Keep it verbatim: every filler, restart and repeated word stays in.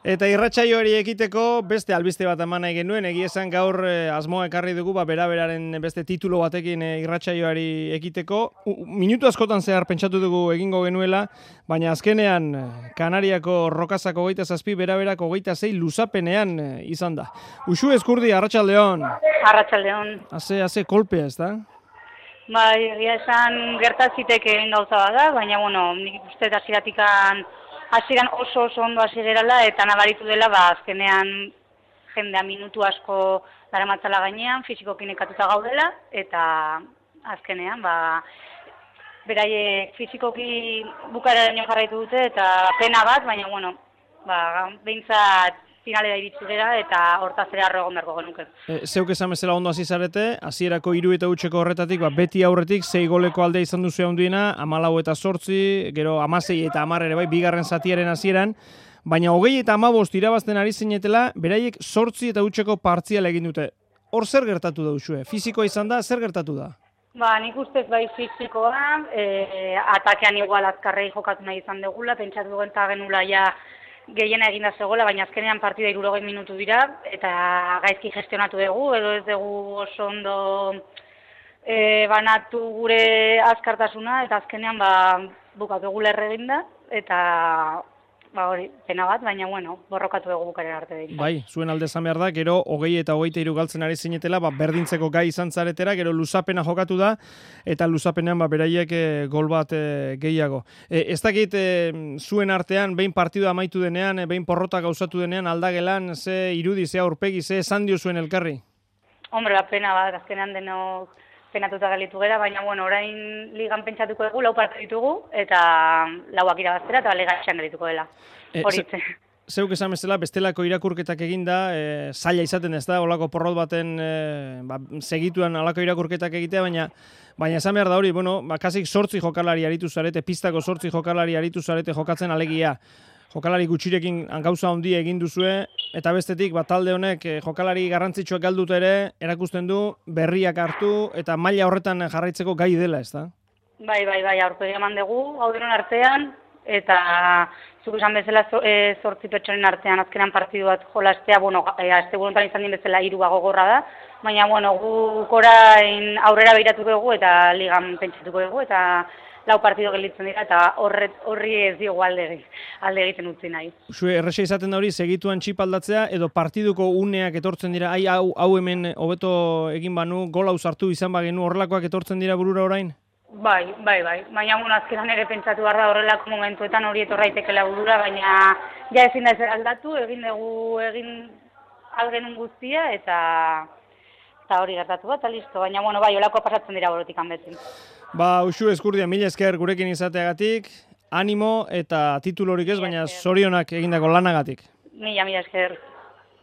Eta irratsaioari ekiteko beste albiste bat eman nahi genuen, egia esan gaur eh, asmoa ekarri dugu ba, bera-beraren beste titulo batekin eh, irratsaioari ekiteko. U, minutu askotan zehar pentsatu dugu egingo genuela, baina azkenean Kanariako Rokazako hogeita zazpi, bera-berako hogeita zei luzapenean eh, izan da. Uxue Ezkurdi, arratsaldeon. Arratsaldeon. Haze, haze kolpea, ez da? Bai, egia esan gertazitekeen gauza bada, baina bueno, nik uste hasieratikan hasieran oso oso ondo hasi gerala eta nabaritu dela ba azkenean jendea minutu asko daramatzala gainean, fisikoki nekatuta gaudela eta azkenean ba beraiek fisikoki bukaeraino jarraitu dute eta pena bat, baina bueno, ba behintzat finalera iritsi gera eta hortaz ere harro egon beharko genuke. E, zeuk esan bezala ondo hasi zarete, hasierako hiru eta hutseko horretatik, ba, beti aurretik sei goleko aldea izan duzu handiena, hamalau eta zortzi, gero hamasei eta hamar ere bai, bigarren zatiaren hasieran, baina hogei eta hamabost irabazten ari zinetela, beraiek zortzi eta hutseko partziala egin dute. Hor zer gertatu da usue? Fisikoa izan da, zer gertatu da? Ba, nik ustez bai fisikoa, e, atakean igual azkarrei jokatu nahi izan dugula, pentsatu duen eta genula ja gehiena eginda zegoela, baina azkenean partida hirurogei minutu dira, eta gaizki gestionatu dugu, edo ez dugu oso ondo e, banatu gure azkartasuna, eta azkenean ba, bukatu dugu lerre eginda, eta ba hori, pena bat, baina bueno, borrokatu dugu bukaren arte behin. Bai, zuen alde esan behar da, gero hogei eta hogeita hiru galtzen ari zinetela, ba, berdintzeko gai izan zaretera, gero luzapena jokatu da, eta luzapenean ba, beraiek e, gol bat e, gehiago. E, ez dakit e, zuen artean, behin partidua amaitu denean, e, behin porrota gauzatu denean, aldagelan, ze irudi, ze aurpegi, ze esan dio zuen elkarri? Hombre, ba, pena bat, azkenean denok penatuta galitu gera, baina bueno, orain ligan pentsatuko dugu, lau parte ditugu, eta lauak irabaztera, eta liga etxean galituko dela. Horitze. E, zeuk esan bezala, bestelako irakurketak eginda, e, zaila izaten ez da, olako porrot baten e, ba, segituan alako irakurketak egitea, baina baina esan behar da hori, bueno, ba, kasik sortzi jokalari aritu zarete, pistako sortzi jokalari aritu zarete jokatzen alegia. Jokalari gutxirekin gauza handia egin duzue, eta bestetik bat talde honek jokalari garrantzitsuak galduta ere erakusten du berriak hartu eta maila horretan jarraitzeko gai dela, ez da? Bai, bai, bai, aurpegi eman dugu, hau denon artean, eta zuk esan bezala zortzi pertsonen artean azkenan partidu bat jolastea, bueno, azte burutan izan din bezala hirua gogorra da, baina, bueno, guk orain aurrera behiratuko dugu eta ligan pentsatuko dugu, eta lau partido gelditzen dira, eta horri ez diogu alde, alde egiten utzi nahi. Zue, erresa izaten da hori, segituan txip aldatzea, edo partiduko uneak etortzen dira, ai, hau, hau hemen hobeto egin banu, gola sartu izan bagenu, horrelakoak etortzen dira burura orain? Bai, bai, bai. Baina, bueno, azkenan ere pentsatu behar da horrelako momentuetan hori etorraitekela burura, baina ja ezin da ezer aldatu, egin dugu, egin algenun guztia, eta eta hori gertatu bat, eta listo. Baina, bueno, bai, olako pasatzen dira borotik hanbetzen. Ba, Uxue Ezkurdia, mila esker gurekin izateagatik, animo eta titulorik ez, baina zorionak egindako lanagatik. Mila, mila esker.